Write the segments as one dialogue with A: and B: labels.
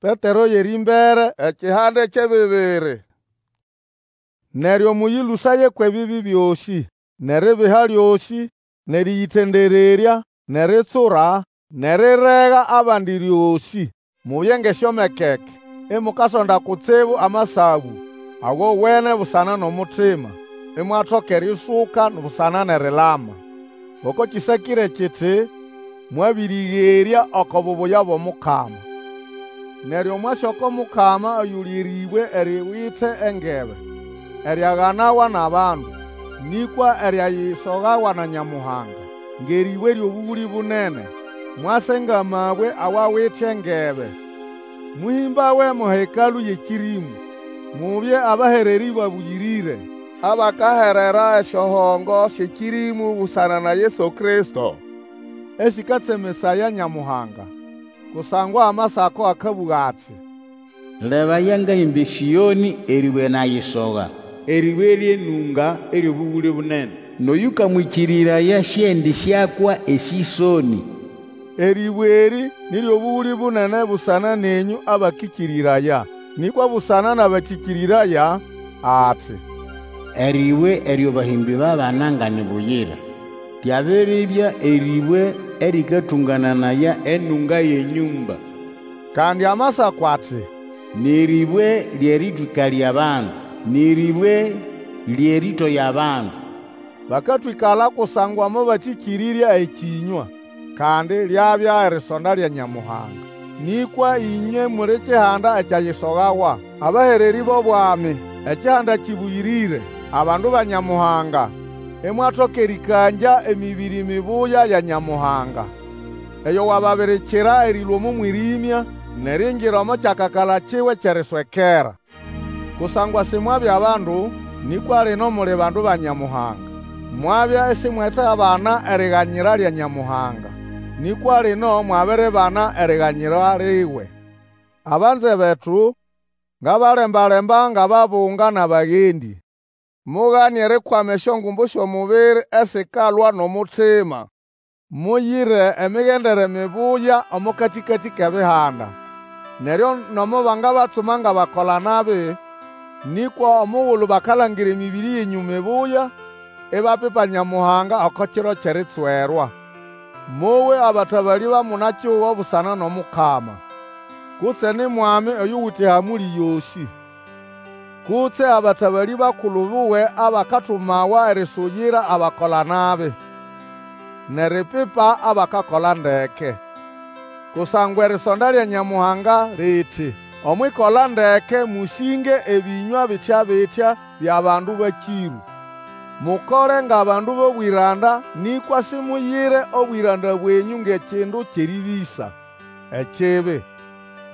A: Petero y'erĩmbere ekihande ky'ebibiri. Neryo mũyĩlũsaye kw'ebibi byosĩ, n'eribiha lyosĩ, n'erĩyĩtendererya, n'eritsura, n'erirega abandi lyosĩ. Mubye ng'esyomekeke, imukasonda kutsibu amasabũ awowene busana n'omutima, imwatoka erĩsũka busana n'erilama. Ngoko kĩsakĩre kiti, Mwabĩrĩgerya oko bubuya bw'omukama. Neryo mwase oko Mukama oyuli erĩbwe eriwite engebe, eryaganawa n'abandu, nĩkwa eryayisogawa na Nyamuhanga, ng'erĩbwe ly'obũgũlĩ bunene. Mwase ng'amabwe awawite engebe, mũhĩmbawe mo Hekalũ y'ekĩrĩmũ. Mubye abahererĩ babũyĩrĩre, abakaherera esyohongo sy'ekĩrĩmũ busana na Yesu Kristo, esĩkatsemesaya Nyamuhanga. Kusangwa Amasako akabũga ati,
B: Lebaya, ngahĩmba eSĩonĩ erĩbwe nayisoga, Erĩbwe ly'enũnga ery'obũgũlĩ bunene, N'oyũkamwĩkĩrĩraya siendisyakwa esĩsonĩ.
A: Erĩbwe erĩ ni ly'obũgũlĩ bunene busana nenyũ abakĩkĩrĩraya. Nĩkwa busana n'abatĩkĩrĩraya, ati,
B: Erĩbwe eryo bahĩmbĩ babana nga ni buyira, Lyabiribya erĩbwe erĩkatũngananaya enũnga y'enyũmba.
A: Kandi Amasako ati,
B: N'erĩbwe ly'erĩtwĩkalya abandu, N'erĩbwe ly'erĩtoya abandu.
A: Bakatwĩkala kusangwa mobatĩkĩrĩrya ekĩnywa, kandi lyabya erisonda lya Nyamuhanga. Nĩkwa ĩnywe muli kihanda ekyayisogawa, abahererĩ b'obwami, ekihanda kĩbũyĩrĩre, abandu ba Nyamuhanga, imwatoka erĩkangya emĩbĩrĩ mibuya ya Nyamuhanga, eyo wababirikira erĩlũa omo mwĩrĩmya n'eriingira omo kyakakala kiwe ky'eriswekera. Kusangwa simwabya bandu, nĩkwa lino muli bandu ba Nyamuhanga. Mwabya isimwetabana eriganyira lya Nyamuhanga, nĩkwa lino mwabiribana eriganyira liwe. Abanze betu, ngabalemba-lemba ng'ababunga n'abagendĩ. Mugane erikwama esyongumbu sy'omubiri esikalwa n'omutima. Muyire emigendere mibuya omo katĩkatĩ k'Ebihanda. Neryo nomo bangabatsuma ng'abakola-nabi, nĩkwa omugulu bakalangira emĩbĩrĩ yenyũ mibuya, ibapipa Nyamuhanga oko kiro ky'eritswerwa. Mowe abatabalĩ ba muna-kihugo busana n'Omukama, kutse ni Mwami oyuwite ehamũlĩ yosĩ, kutse abatabalĩ bakulu buwe abakatumawa erisuyira abakola-nabi, n'eripipa abakakola ndeke. Kusangwa erisonda lya Nyamuhanga liti, omw'ikola ndeke mũsĩnge ebĩnywa bitya-bitya by'abandu bakĩrũ. Mukole ng'abandu b'obwĩranda, nĩkwa simuyire obwĩranda bwenyũ ng'ekindu ky'erĩbĩsa ekibi.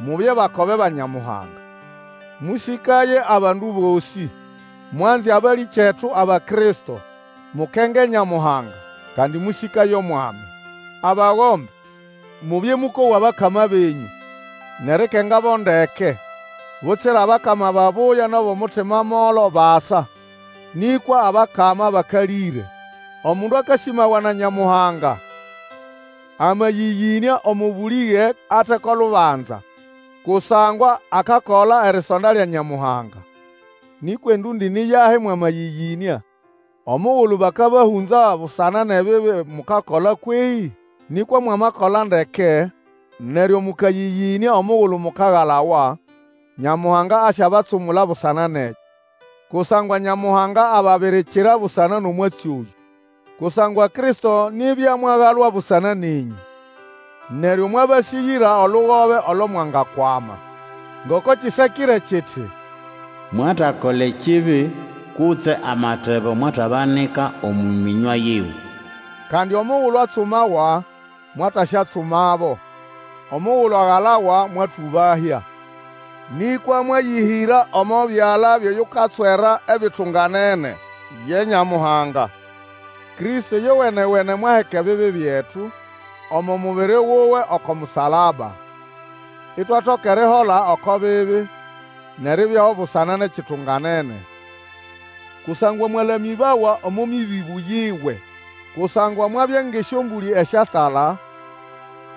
A: Mubye bakobe ba Nyamuhanga. Mũsĩkaye abandu bosĩ. Mwanze abalĩkyetu aba Kristo. Mukenge Nyamuhanga, kandi mũsĩkaye Omwami. Abagombe, mubye mũkowa abakama benyũ, n'erikengabo ndeke, butsira abakama babuya n'ab'omutima molo basa, nĩkwa abakama bakalĩre. Omundu akasĩmawa na Nyamuhanga, amayĩyĩnĩa omo bũlĩge ate ko lubanza, kusangwa akakola erisonda lya Nyamuhanga. Nĩkwa endũndĩ ni yahi mwamayĩyĩnĩa? Omugulu bakabahũnza busana n'ebibi mukakola kwehĩ? Nĩkwa mwamakola ndeke, neryo mũkayĩyĩnĩa omugulu mukagalawa, Nyamuhanga asyabatsumula busana n'ekyo. Kusangwa Nyamuhanga ababirikira busana n'omwatsi oyũ. Kusangwa Kristo nibya mwagalwa busana nenyũ. Neryo mwabasĩgĩra olugobe olo mwangakwama. Ngoko kĩsakĩre kiti,
B: Mwatakola ekibi, kutse amatebo mwatabanika omo mĩnywa yiwe.
A: Kandi omugulu atsumawa, mwatasyatsumabo. Omugulu agalawa, mwatũbahya. Nĩkwa mwayĩhĩra omo byala by'oyukatswera ebitunganene, ye Nyamuhanga. Kristo yowenewene mwaheka ebibi byetu omo mubiri wuwe oko musalaba, itwatoka erihola oko bibi, n'eribyaho busana n'ekitunganene. Kusangwa mwalamĩbawa omo mĩbĩbũ yiwe. Kusangwa mwabya ng'esyombũlĩ esyatala,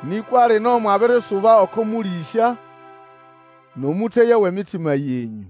A: nĩkwa lino mwabirisuba oko mũlĩsya N'omũteya w'emitima yenyũ.